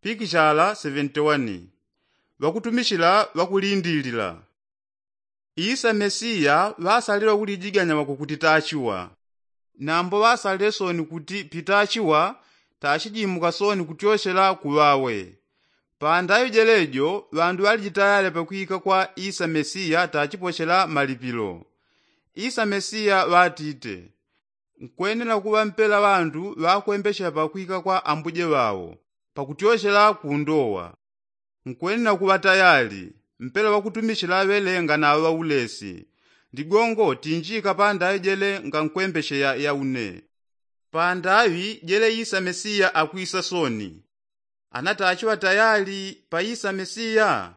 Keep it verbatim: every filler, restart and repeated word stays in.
pikishala seventy-one. Ŵakutumichila ŵakulindilila. Isa mesiya ŵasalile ŵakulijiganya ŵakukuti tachiwa. Nambo ŵasalile soni kuti pitachiwa tachijimuka soni kutyochela kuŵawe. Pandaŵi jelejo ŵandu ŵalijitayale pakwika kwa isa mesiya tachipochela malipilo. Isa mesiya ŵatite, nkwenela kuŵa mpela ŵandu ŵakwembechela pakwika kwa ambuje ŵao pakutyochela kundowa. Nkwenela kuŵa tayali mpela ŵakutumichila ŵelenga na ŵaulesi. Ligongo tinjika pandaŵi jele ngankwembecheya yaune. Pandaŵi jele isa mesiya akwisa soni. Ana tachiŵa tayali pa isa mesiya.